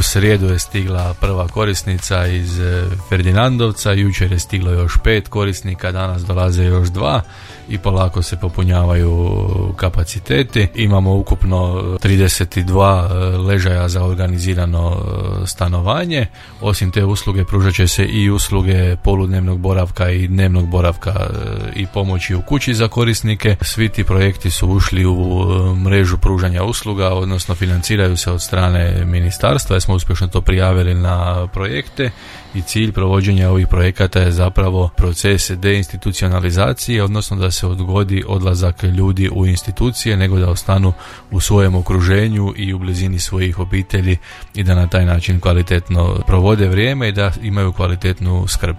U srijedu je stigla prva korisnica iz Ferdinandovca, jučer je stiglo još 5 korisnika, danas dolaze još 2 i polako se popunjavaju kapaciteti. Imamo ukupno 32 ležaja za organizirano stanovanje. Osim te usluge pružat će se i usluge poludnevnog boravka i dnevnog boravka i pomoći u kući za korisnike. Svi ti projekti su ušli u mrežu pružanja usluga, odnosno financiraju se od strane ministarstva, jer smo uspješno to prijavili na projekte i cilj provođenja ovih projekata je zapravo proces deinstitucionalizacije, odnosno da se odgodi odlazak ljudi u institucije, nego da ostanu u svojem okruženju i u blizini svojih obitelji i da na taj način kvalitetno provode vrijeme i da imaju kvalitetnu skrb.